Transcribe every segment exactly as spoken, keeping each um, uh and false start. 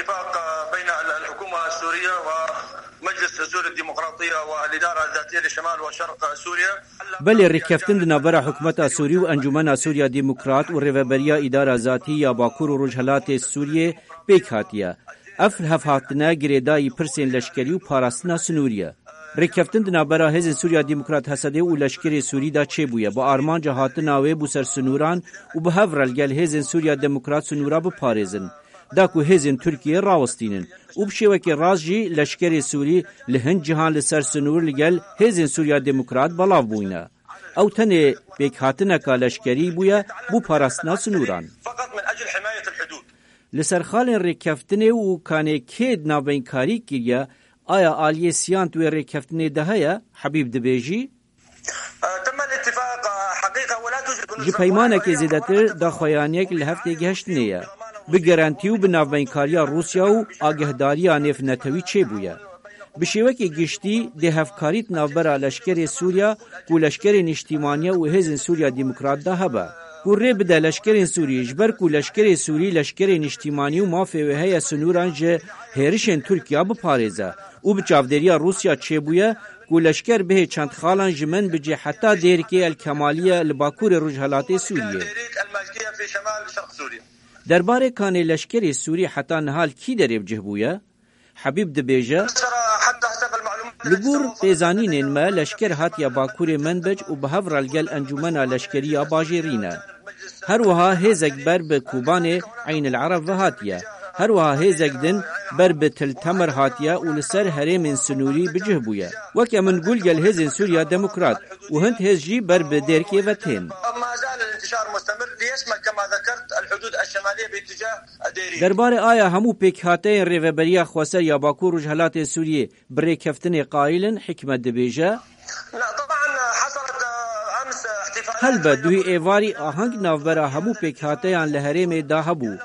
اتفاق بين الحكومة السورية ومجلس سوريا الديمقراطية والإدارة الذاتية لشمال وشرق سوريا. Belê, rêkeftin di navbera hikûmeta Sûrî û Encûmena Sûriya Demokrat û Rêveberiya Îdara Zatî ya Bakur û Rojhelatê Sûriyê pêk hatiye. Ev hevhatine girêdayî pirsên leşkerî û parastina sinûrî ye. Rêkeftin di navbera Hêzên Sûriya Demokrat, H S D, û leşkerê Sûrî de çêbûye, bi armanca hatina wê bo ser sinûran û bi hev re li gel Hêzên Sûriya Demokrat sinûra biparêzin, da ku hêzên Tirkiyê rawestînin û bi şêwekê rast jî leşkerê Sûrî li hin cihan li ser sinûr li gel Hêzên Sûriya Demokrat belav bûyne. Ew tenê pêkhatineka leşkerî bûye bo parastina sinûran. فقط من أجل حماية الحدود. Li ser xalên rêkeftinê û kanê kê di navbeynkarî kiriye, aya aliyê siyant wê rêkeftinê de heye? Hebîb dibêjî, تم الاتفاق حقيقة ولا توجد Ji peymanekê zêdetir daxuyaniyek li hev têgihiştinê ye. Bi gerantî û bi navbeynkariya Rûsya û agehdariya nêvnetewî çêbûye. Bi şêwekê giştî dê hevkarî di navbera leşkerê Sûriya ku leşkerê Niştîmaniye û Hêzên Sûriya Demokrat de hebe. Ku rê bide leşkerên Sûrî, ji ber ku leşkerê Sûrî leşkerê niştîmanî û mafê wê heye sinûran ji hêrişên Tirkiya biparêze û bi çavdêriya Rûsya çêbûye ku leşker bihê çend xalan ji Menbicê heta Dêrikê El Kemaliye li bakurê rojhelatê Sûriyê. Derbarê kanê leşkerê Sûrî heta niha li kî derê bi cih bûye? Hebîb dibêje, Li gor pêzanînên me, leşker hatiye bakurê Menbic û bi hev re li gel encûmena leşkerî ya bajêrî ne. Her wiha hêzek ber bi Kobanê Eyn el Ereb ve hatiye. Her wiha hêzek din ber bi Til Temer hatiye û li ser herêmên sinûrî bi cih bûye. Weke min got, gel hêzên Sûriya Demokrat û hind hêz jî ber bi Dêrkê ve tên. ما زال الانتشار مستمر ليشمل كما ذكرت الحدود الشمالية باتجاه Derbarê aya hemû pêkhateyên Rêveberiya Xweser ya Bakur Rojhelatê Sûriyê bi rêkeftinê qayîl in, Hikmet dibêje, Helbet, duhî êvarî aheng navbera hemû pêkhateyan li herêmê de hebû.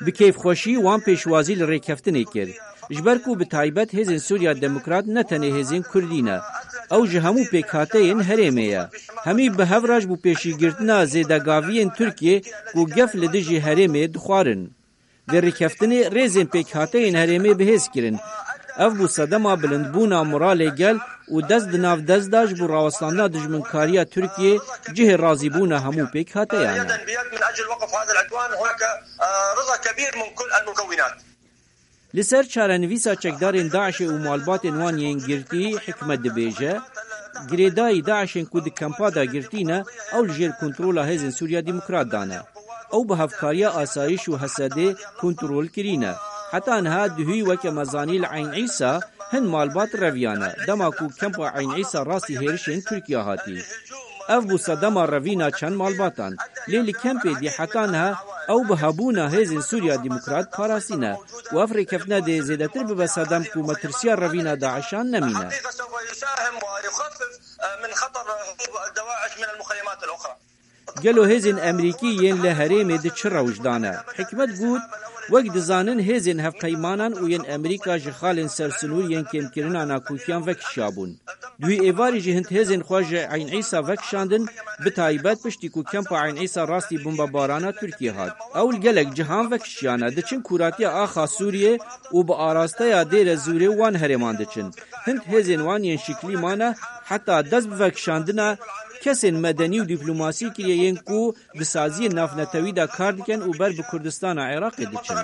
Bi kêfxweşî wan pêşwazî li rêkeftinê kir. Ji ber ku bi taybet hêzên Sûriya Demokrat ne tenê hêzên Kurdî ne. Ew ji hemû pêkhateyên herêmê ye. Hemî bi hev re ji bo pêşîgirtina zêdegaviyên Tirkiyê ku gef li dijî herêmê dixwarin. Vê rêkeftinê rêzên pêkhateyên herêmê bi hêz kirin. Ev bû sedema bilindbûna moralê gel û dest di nav dest de ji bo rawestandina dijminkariya Tirkiyê cihê razîbûna hemû pêkhateyan e. يدا بيد من أجل وقف هذا العدوان. هناك رضا كبير من كل المكونات. Li ser çarenivîsa çekdarên DAIŞê û malbatên wan yên girtî, Hikmet dibêje, girêdayî DAIŞên ku di kempa de girtî ne, ew li jêr kontrola Hêzên Sûriya Demokrat de ne. Ew bi hevkariya asayîş û H S D'ê kontrol kirîne. Heta niha duhî, weke me zanî, li Eyn Îsa hin malbat reviyane, dema ku kempa Eyn Îsa rastî hêrişên Tirkiye hatî. Ev bû sedema revîna çend malbatan. Lê li kempê dî heta niha ew bi hebûna Hêzên Sûriya Demokrat parastîne û ev rêkeftina dê zêdetir bibe sedem ku metirsiya revîna DAIŞan nemîne. من خطر هروب دواعش من المخيمات الأخرى. Gelo hêzên Emerîkî yên li herêmê di çi rewş de ne? Hikmet got, wek dizanin hêzên hevpeymanan û yên Emerîka ji xalên ser sinûr yên kêmkirina nakokiyan vekişiyabûn. Duhî êvarî jî hind hêzên xwe ji Eyn Îsa vekişandin, bi taybet piştî ku kempa Eyn Îsa rastî bombebarana Tirkiyê hat. Ew li gelek cihan vekişiyane, diçin kûratiya axa Sûriyê û bi arasteya Dêre Zûrê wan herêman diçin. Hind hêzên wan yên şiklî mane, heta dest bi vekişandina kesên medenî û dîplomasî kiriye yên ku di saziyên navnetewî de kar dikin û ber bi Kurdistana Iraqê diçin.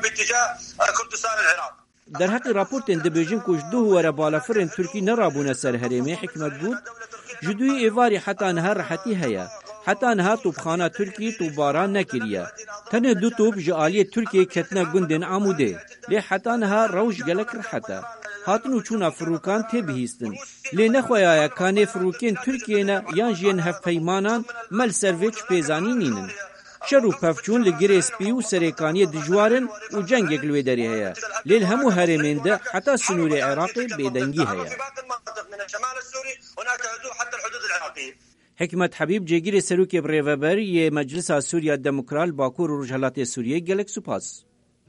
Derheqî raportên dibêjin ku ji duh were balafirên Tirkî nerabûne ser herêmê, Hikmet got, ji duhî êvarî heta niha rehetî heye. Heta niha topxana Tirkî topbaran nekiriye. Tenê du top ji aliyê Tirkiyê ketine gundên Amûdê. Lê heta niha rewş gelek rehet e. Hatin û çûna firokan tê bihîstin. Lê ne xweya ye ka nê firokên Tirkiyê ne yan jî yên hevpeymanan, me li ser vê çi pêzanî nînin. Şer û pevçûn li Girê Spî û Serêkaniyê dijwar in û cengek li wê derê heye. Lê li hemû herêmên de heta sinûrê Iraqê bêdengî heye. Hikmet Hebîb, cêgirê serokê birêveber yê Meclisa Sûriya Demokrat li Bakur û Rojhelatê Sûriyê, gelek spas.